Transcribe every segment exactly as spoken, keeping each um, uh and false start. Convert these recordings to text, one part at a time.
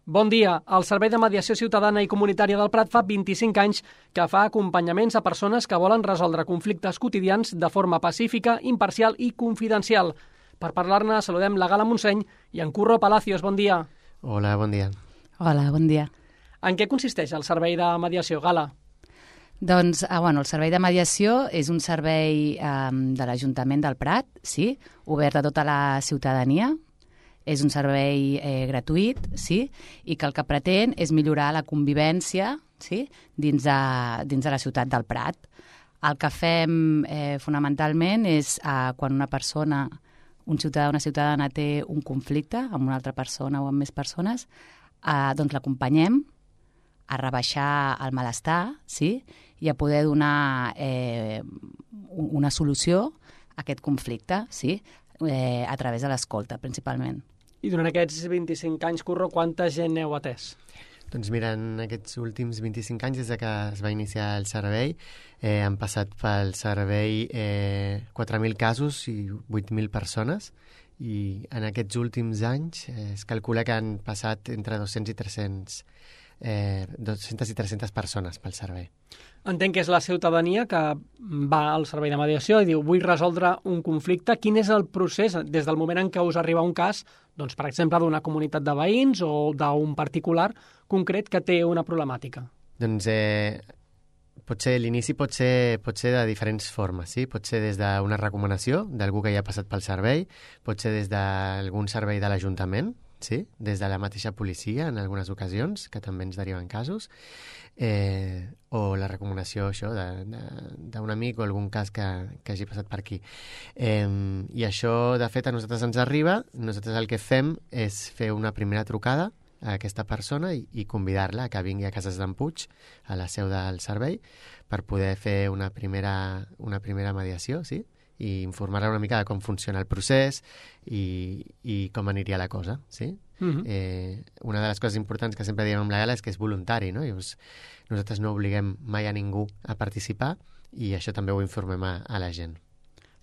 Bon dia. El Servei de Mediació Ciutadana i Comunitària del Prat fa vint-i-cinc anys que fa acompanyaments a persones que volen resoldre conflictes quotidians de forma pacífica, imparcial i confidencial. Per parlar-ne, saludem la Gala Montseny i en Curro Palacios. Bon dia. Hola, bon dia. Hola, bon dia. En què consisteix el Servei de Mediació, Gala? Doncs, ah, bueno, el Servei de Mediació és un servei eh, de l'Ajuntament del Prat, sí, obert a tota la ciutadania. És un servei eh, gratuït, sí, i que el que pretén és millorar la convivència, sí, dins de, dins de la ciutat del Prat. El que fem eh, fonamentalment és eh, quan una persona, un ciutadà o una ciutadana té un conflicte amb una altra persona o amb més persones, eh, doncs l'acompanyem a rebaixar el malestar, sí, i a poder donar eh, una solució a aquest conflicte, sí, eh, a través de l'escolta, principalment. I durant aquests vint-i-cinc anys, Curro, quanta gent heu atès? Doncs mira, en aquests últims vint-i-cinc anys, des de que es va iniciar el servei, eh, han passat pel servei eh, quatre mil casos i vuit mil persones, i en aquests últims anys eh, es calcula que han passat entre dos-cents i tres-cents Eh, dues-centes i tres-centes persones pel servei. Entenc que és la ciutadania que va al servei de mediació i diu vull resoldre un conflicte. Quin és el procés des del moment en què us arriba un cas, doncs, per exemple, d'una comunitat de veïns o d'un particular concret que té una problemàtica? Doncs eh, potser l'inici pot ser, pot ser de diferents formes, sí? Pot ser des d'una recomanació d'algú que ja ha passat pel servei, pot ser des d'algun servei de l'Ajuntament, sí? Des de la mateixa policia en algunes ocasions, que també ens deriven casos, eh, o la recomanació això d'un amic o algun cas que, que hagi passat per aquí. Eh, I això, de fet, a nosaltres ens arriba. Nosaltres el que fem és fer una primera trucada a aquesta persona i, i convidar-la a que vingui a Cases d'en Puig, a la seu del servei, per poder fer una primera, una primera mediació, sí? I informar-la una mica de com funciona el procés i, i com aniria la cosa, sí? Uh-huh. eh, una de les coses importants que sempre diem amb la Gala és que és voluntari, no? I us, nosaltres no obliguem mai a ningú a participar i això també ho informem a, a la gent.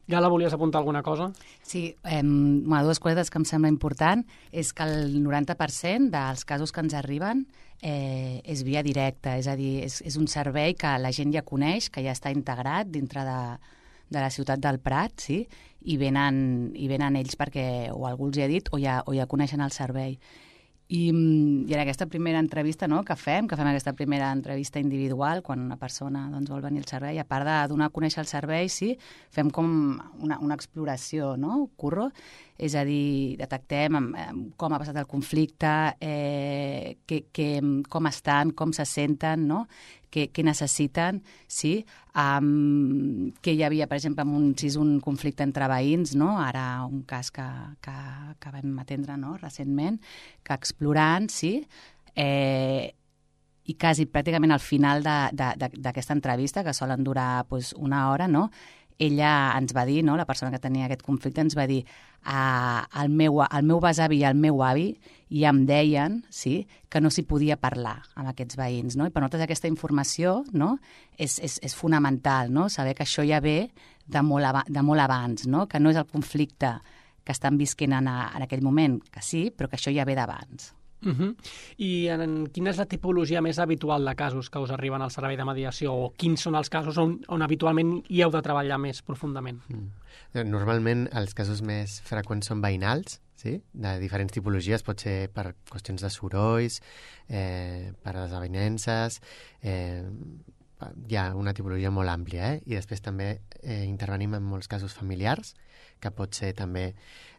Gala, volies apuntar alguna cosa? Sí, eh, bueno, dues coses que em sembla important és que el noranta per cent dels casos que ens arriben eh, és via directa, és a dir, és, és un servei que la gent ja coneix, que ja està integrat dintre de de la ciutat del Prat, sí? I venen, i venen ells perquè o algú els hi ha dit o ja, o ja coneixen el servei. I, I en aquesta primera entrevista, no?, que fem, que fem aquesta primera entrevista individual, quan una persona, doncs, vol venir al servei, a part de donar a conèixer el servei, sí, fem com una, una exploració, no?, Curro? És a dir, detectem com ha passat el conflicte, eh, que, que, com estan, com se senten, no?, què, què necessiten, sí, um, que hi havia, per exemple, un, si és un conflicte entre veïns, no?, ara un cas que, que, que vam atendre, no?, recentment, que explorant, sí, eh, i quasi pràcticament al final d'aquesta entrevista, que solen durar pues, una hora, no?, ella ens va dir, no, la persona que tenia aquest conflicte ens va dir uh, el, meu, el meu besavi i el meu avi ja em deien, sí, que no s'hi podia parlar amb aquests veïns, no? I per nosaltres aquesta informació, no, és, és, és fonamental, no? Saber que això ja ve de molt, ab de molt abans, no? Que no és el conflicte que estan visquent en, a, en aquell moment, que sí, però que això ja ve d'abans. Uh-huh. I en, quina és la tipologia més habitual de casos que us arriben al servei de mediació o quins són els casos on, on habitualment hi heu de treballar més profundament? Mm. Normalment els casos més freqüents són veïnals, sí? De diferents tipologies, pot ser per qüestions de sorolls, eh, per desavinences, eh, hi ha una tipologia molt àmplia, eh? I després també eh, intervenim en molts casos familiars, que pot ser també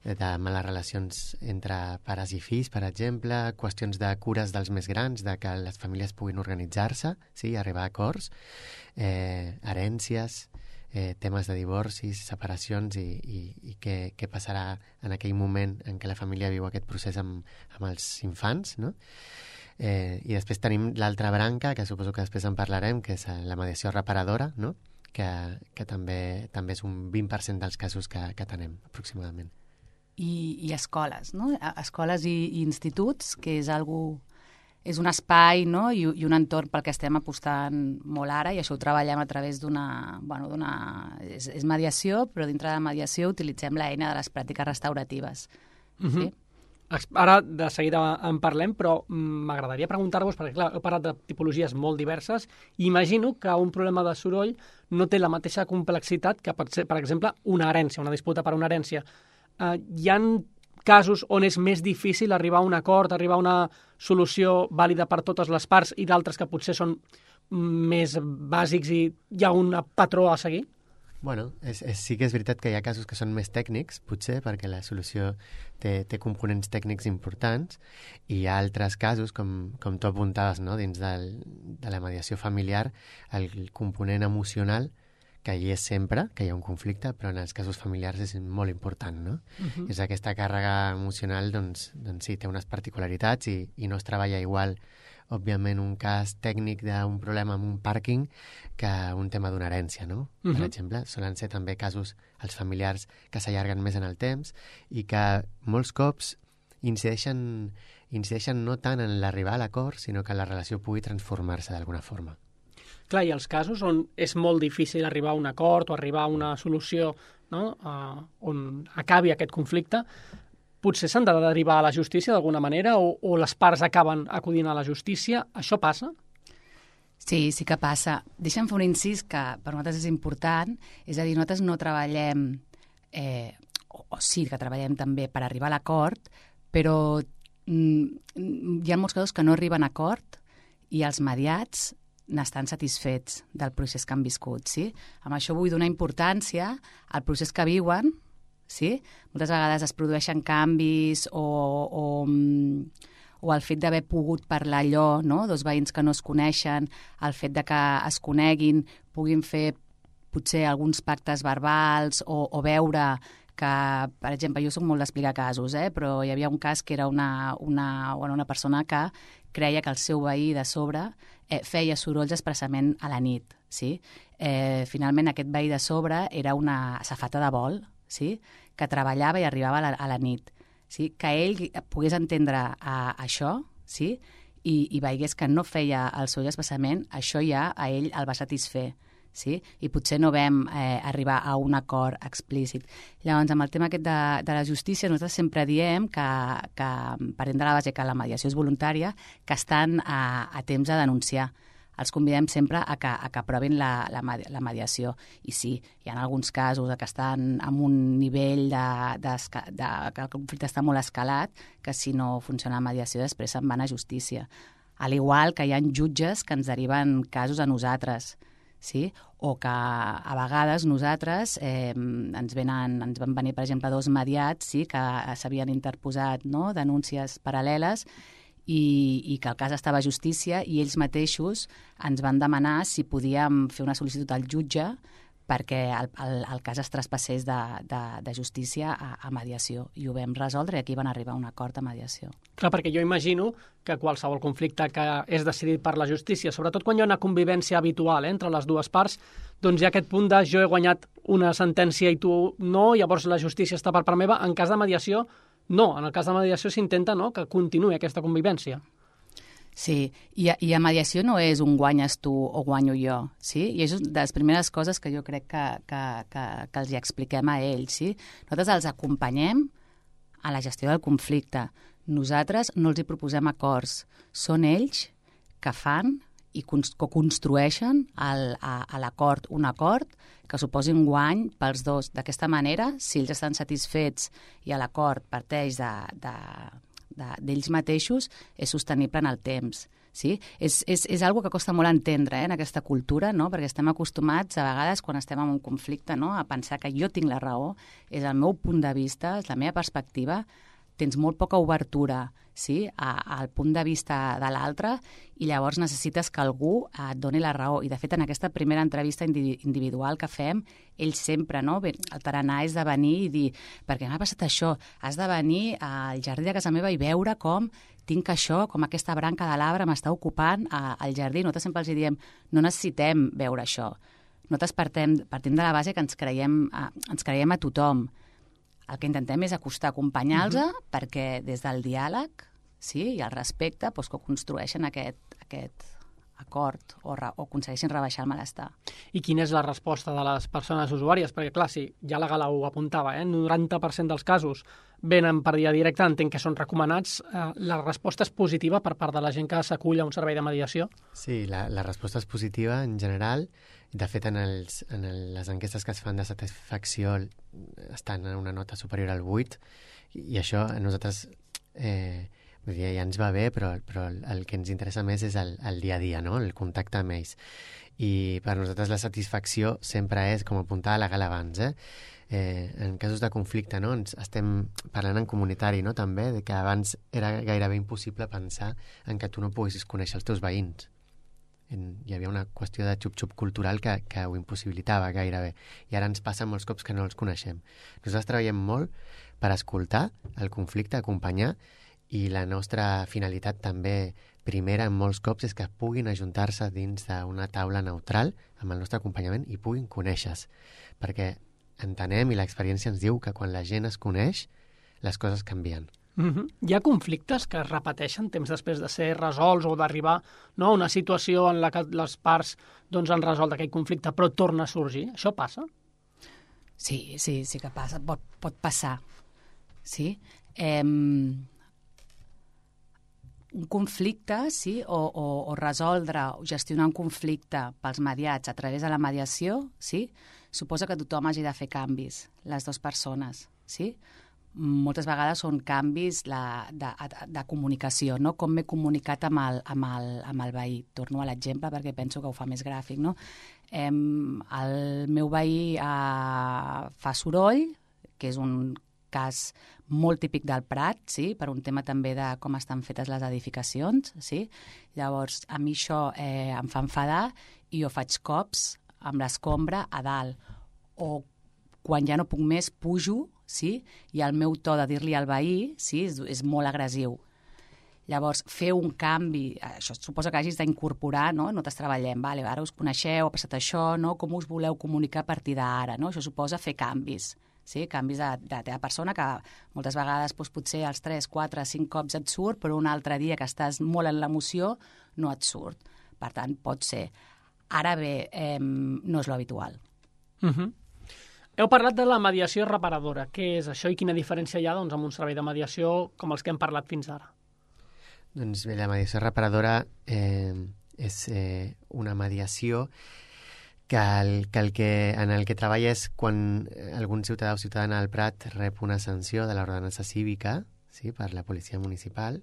de males relacions entre pares i fills, per exemple, qüestions de cures dels més grans, de que les famílies puguin organitzar-se, sí, arribar a acords, eh, herències, eh, temes de divorcis, separacions i, i, i què, què passarà en aquell moment en què la família viu aquest procés amb, amb els infants, no? Eh, I després tenim l'altra branca, que suposo que després en parlarem, que és la mediació reparadora, no?, que, que també, també és un vint per cent dels casos que, que tenem, aproximadament. I, i escoles, no? Escoles i, i instituts, que és algú, és un espai, no?, I, i un entorn pel que estem apostant molt ara, i això ho treballem a través d'una... Bueno, d'una és, és mediació, però dintre de la mediació utilitzem l'eina de les pràctiques restauratives. Uh-huh. Sí? Ara de seguida en parlem, però m'agradaria preguntar-vos, perquè clar, heu parlat de tipologies molt diverses, i imagino que un problema de soroll no té la mateixa complexitat que pot ser, per exemple, una herència, una disputa per una herència. Eh, hi ha casos on és més difícil arribar a un acord, arribar a una solució vàlida per totes les parts, i d'altres que potser són més bàsics i hi ha un patró a seguir? Bueno, és, és, sí que és veritat que hi ha casos que són més tècnics, potser, perquè la solució té, té components tècnics importants, i hi ha altres casos, com, com tu apuntaves, no? Dins del, de la mediació familiar, el component emocional, que hi és sempre, que hi ha un conflicte, però en els casos familiars és molt important, no? Uh-huh. És aquesta càrrega emocional, doncs, doncs sí, té unes particularitats i, i no es treballa igual, òbviament, un cas tècnic d'un problema amb un pàrquing que un tema d'una herència, no? Uh-huh. Per exemple, solen ser també casos, els familiars, que s'allarguen més en el temps i que molts cops incideixen, incideixen no tant en l'arribar a l'acord, sinó que la relació pugui transformar-se d'alguna forma. Clar, i els casos on és molt difícil arribar a un acord o arribar a una solució, no? uh, on acabi aquest conflicte, potser s'han de derivar a la justícia d'alguna manera o, o les parts acaben acudint a la justícia. Això passa? Sí, sí que passa. Deixa'm fer un incís que per nosaltres és important. És a dir, nosaltres no treballem, eh, o, o sí que treballem també per arribar a l'acord, però mm, hi ha molts casos que no arriben a acord i els mediats n'estan satisfets del procés que han viscut. Sí? Amb això vull donar importància al procés que viuen. Sí? Moltes vegades es produeixen canvis o, o, o el fet d'haver pogut parlar allò, no? Dos veïns que no es coneixen, el fet de que es coneguin, puguin fer potser alguns pactes verbals o, o veure que, per exemple, jo soc molt d'explicar casos, eh? Però hi havia un cas que era una, una, bueno, una persona que creia que el seu veí de sobre eh, feia sorolls expressament a la nit. Sí? Eh, finalment, aquest veí de sobre era una safata de vol, sí? Que treballava i arribava a la, a la nit. Sí? Que ell pogués entendre a, a això, sí? I, i veiés que no feia el seu expressament, això ja a ell el va satisfer. Sí? I potser no vam eh, arribar a un acord explícit. Llavors, amb el tema aquest de, de la justícia, nosaltres sempre diem que, que partim de la base que la mediació és voluntària, que estan a, a temps de denunciar. Els convidem sempre a que, a que aprovin la, la, la mediació. I sí, hi ha alguns casos que estan en un nivell de, de, de, que el conflicte està molt escalat, que si no funciona la mediació després se'n van a justícia. Al igual que hi ha jutges que ens deriven casos a nosaltres, sí? O que a vegades nosaltres eh, ens, venen, ens van venir, per exemple, dos mediats, sí? Que s'havien interposat, no? Denúncies paral·leles, I, i que el cas estava a justícia i ells mateixos ens van demanar si podíem fer una sol·licitud al jutge perquè el, el, el cas es traspassés de, de, de justícia a, a mediació. I ho vam resoldre i aquí van arribar a un acord a mediació. Clar, perquè jo imagino que qualsevol conflicte que és decidit per la justícia, sobretot quan hi ha una convivència habitual eh, entre les dues parts, doncs hi ha aquest punt de jo he guanyat una sentència i tu no, llavors la justícia està per part meva. En cas de mediació, no, en el cas de mediació s'intenta no, que continuï aquesta convivència. Sí, i a, i a mediació no és un guanyes tu o guanyo jo, sí? I és una de les primeres coses que jo crec que, que, que, que els hi expliquem a ells, sí? Nosaltres els acompanyem a la gestió del conflicte. Nosaltres no els hi proposem acords. Són ells que fan i que construeixen el, a, a l'acord un acord que suposi un guany pels dos. D'aquesta manera, si ells estan satisfets i l'acord parteix de, de, de, d'ells mateixos, és sostenible en el temps. Sí? És, és, és algo que costa molt entendre eh, en aquesta cultura, no? Perquè estem acostumats a vegades quan estem en un conflicte no? A pensar que jo tinc la raó, és el meu punt de vista, és la meva perspectiva, tens molt poca obertura sí, a, al punt de vista de l'altre i llavors necessites que algú et doni la raó. I, de fet, en aquesta primera entrevista individual que fem, ells sempre, no? Bé, el tarannà és de venir i dir perquè m'ha passat això, has de venir al jardí de casa meva i veure com tinc això, com aquesta branca de l'arbre m'està ocupant al jardí. Nosaltres sempre els diem, no necessitem veure això. Nosaltres partim, partim de la base que ens creiem, ens creiem a tothom. El que intentem és acostar, acompanyar-los uh-huh. perquè des del diàleg sí, i el respecte doncs, que construeixen aquest, aquest, acord o, re, o aconsegueixin rebaixar el malestar. I quina és la resposta de les persones usuàries? Perquè, clar, sí, ja la Gala ho apuntava, eh? noranta per cent dels casos venen per via directa, entenc que són recomanats. Eh, la resposta és positiva per part de la gent que s'acull a un servei de mediació? Sí, la, la resposta és positiva en general. De fet, en, els, en el, les enquestes que es fan de satisfacció estan en una nota superior al vuit, i, i això a nosaltres eh, vull dir, ja ens va bé, però, però el, el que ens interessa més és el, el dia a dia, no? El contacte amb ells. I per nosaltres la satisfacció sempre és, com apuntava la Gala abans, eh? Eh, en casos de conflicte, no? Ens estem parlant en comunitari, no? També, de que abans era gairebé impossible pensar en que tu no poguessis conèixer els teus veïns. En, hi havia una qüestió de xup-xup cultural que, que ho impossibilitava gairebé. I ara ens passa molts cops que no els coneixem. Nosaltres treballem molt per escoltar el conflicte, acompanyar, i la nostra finalitat també primera en molts cops és que puguin ajuntar-se dins d'una taula neutral amb el nostre acompanyament i puguin conèixer-se. Perquè entenem i l'experiència ens diu que quan la gent es coneix, les coses canvien. Mm-hmm. Hi ha conflictes que es repeteixen temps després de ser resolts o d'arribar, no, a una situació en la que les parts doncs, han resolt aquell conflicte però torna a sorgir? Això passa? Sí, sí, sí que passa. Pot, pot passar. Sí. Eh, un conflicte, sí, o, o, o resoldre o gestionar un conflicte pels mediats a través de la mediació, sí, suposa que tothom hagi de fer canvis, les dues persones, sí? Moltes vegades són canvis la, de, de, de comunicació, no? Com m'he comunicat amb el, amb, el, amb el veí. Torno a l'exemple perquè penso que ho fa més gràfic, no? Eh, el meu veí eh, fa soroll, que és un cas molt típic del Prat, sí? Per un tema també de com estan fetes les edificacions, sí? Llavors, a mi això eh, em fa enfadar i jo faig cops amb l'escombra a dalt. O quan ja no puc més, pujo, sí? I el meu to de dir-li al veí, sí? és, és molt agressiu. Llavors, fer un canvi, això suposa que hagis d'incorporar, no? Nosaltres treballem, vale, ara us coneixeu, ha passat això, no? Com us voleu comunicar a partir d'ara, no? Això suposa fer canvis, sí? Canvis de, de la teva persona, que moltes vegades doncs, potser els tres, quatre, cinc cops et surt, però un altre dia que estàs molt en l'emoció no et surt. Per tant, pot ser. Ara bé, eh, no és l'habitual. Uh-huh. Heu parlat de la mediació reparadora. Què és això i quina diferència hi ha doncs, amb un servei de mediació com els que hem parlat fins ara? Doncs bé, la mediació reparadora eh, és eh, una mediació que, el, que, el que en el que treballa és quan algun ciutadà o ciutadana del Prat rep una sanció de l'ordenança cívica, sí, per la policia municipal,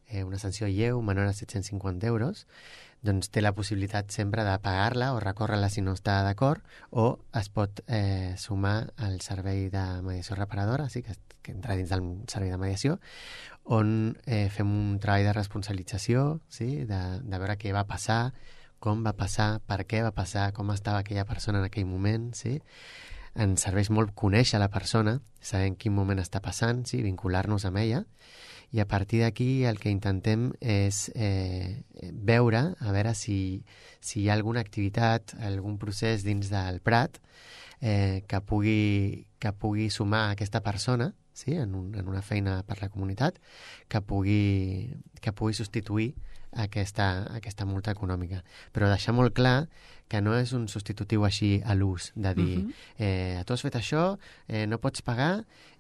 eh, una sanció lleu, menor a set-cents cinquanta euros, doncs té la possibilitat sempre de pagar-la o recórrer-la si no està d'acord, o es pot eh, sumar al servei de mediació reparadora, sí, que, que entra dins del servei de mediació, on eh, fem un treball de responsabilització, sí, de, de veure què va passar, com va passar, per què va passar, com estava aquella persona en aquell moment, sí. Ens serveix molt conèixer la persona, saber en quin moment està passant, sí, vincular-nos amb ella, i a partir d'aquí el que intentem és eh, veure, a veure si, si hi ha alguna activitat, algun procés dins del Prat eh, que, pugui, que pugui sumar aquesta persona, sí, en, un, en una feina per la comunitat, que pugui, que pugui substituir aquesta, aquesta multa econòmica. Però deixar molt clar que no és un substitutiu així a l'ús, de dir, uh-huh. eh, tu has fet això, eh, no pots pagar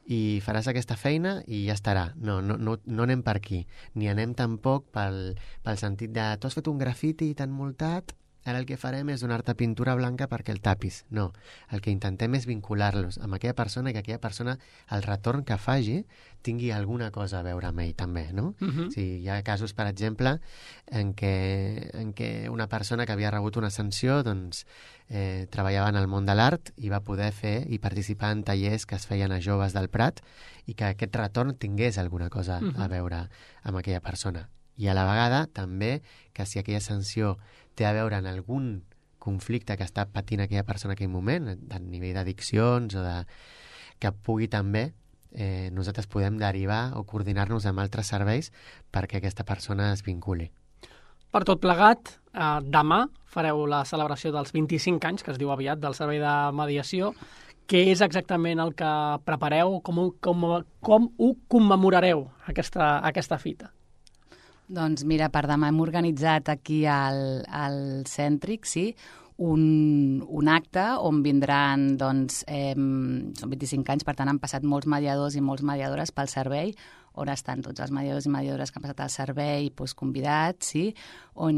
i faràs aquesta feina i ja estarà. No, no, no, no anem per aquí. Ni anem tampoc pel, pel sentit de tu has fet un grafiti tan multat, ara el que farem és donar-te pintura blanca perquè el tapis. No, el que intentem és vincular-los amb aquella persona i que aquella persona, el retorn que faci, tingui alguna cosa a veure amb ell també, no? Uh-huh. Sí, hi ha casos, per exemple, en què, en què una persona que havia rebut una sanció doncs, eh, treballava en el món de l'art i va poder fer i participar en tallers que es feien a joves del Prat i que aquest retorn tingués alguna cosa uh-huh. a veure amb aquella persona. I a la vegada també que si aquella sanció té a veure en algun conflicte que està patint aquella persona en aquell moment, a nivell d'addiccions o de... que pugui també eh, nosaltres podem derivar o coordinar-nos amb altres serveis perquè aquesta persona es vinculi. Per tot plegat, eh, demà fareu la celebració dels vint-i-cinc anys, que es diu aviat, del servei de mediació. Què és exactament el que prepareu? Com ho, com, com ho commemorareu, aquesta, aquesta fita? Doncs mira, per demà hem organitzat aquí al, al Cèntric, sí, un, un acte on vindran, doncs, eh, són vint-i-cinc anys, per tant han passat molts mediadors i molts mediadores pel servei, on estan tots els mediadors i mediadores que han passat al servei doncs, convidats, sí? On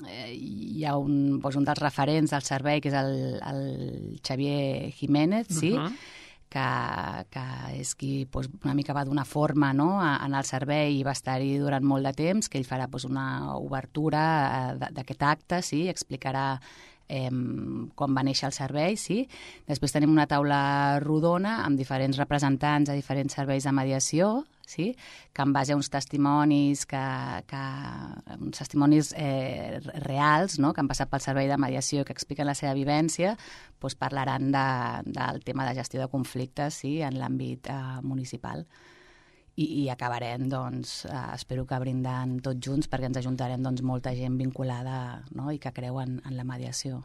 eh, hi ha un, doncs, un dels referents del servei, que és el, el Xavier Jiménez, sí? Uh-huh. que, que és qui doncs, una mica va donar forma, no?, en el servei i va estar-hi durant molt de temps, que ell farà doncs, una obertura d'aquest acte, sí? Explicarà eh, com va néixer el servei, sí? Després tenim una taula rodona amb diferents representants de diferents serveis de mediació, sí? Que en base a uns testimonis, que, que, uns testimonis eh, reals, no?, que han passat pel servei de mediació, que expliquen la seva vivència, doncs parlaran de, del tema de gestió de conflictes, sí?, en l'àmbit eh, municipal. I, i acabarem, doncs, eh, espero que brindant tots junts, perquè ens ajuntarem doncs, molta gent vinculada, no?, i que creu en, en la mediació.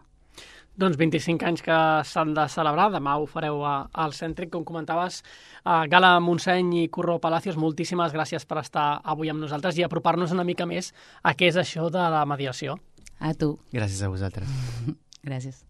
Doncs vint-i-cinc anys que s'han de celebrar, demà ho fareu a, al Cèntric, com comentaves. Uh, Gala Montseny i Curro Palacios, moltíssimes gràcies per estar avui amb nosaltres i apropar-nos una mica més a què és això de la mediació. A tu. Gràcies a vosaltres. Gràcies.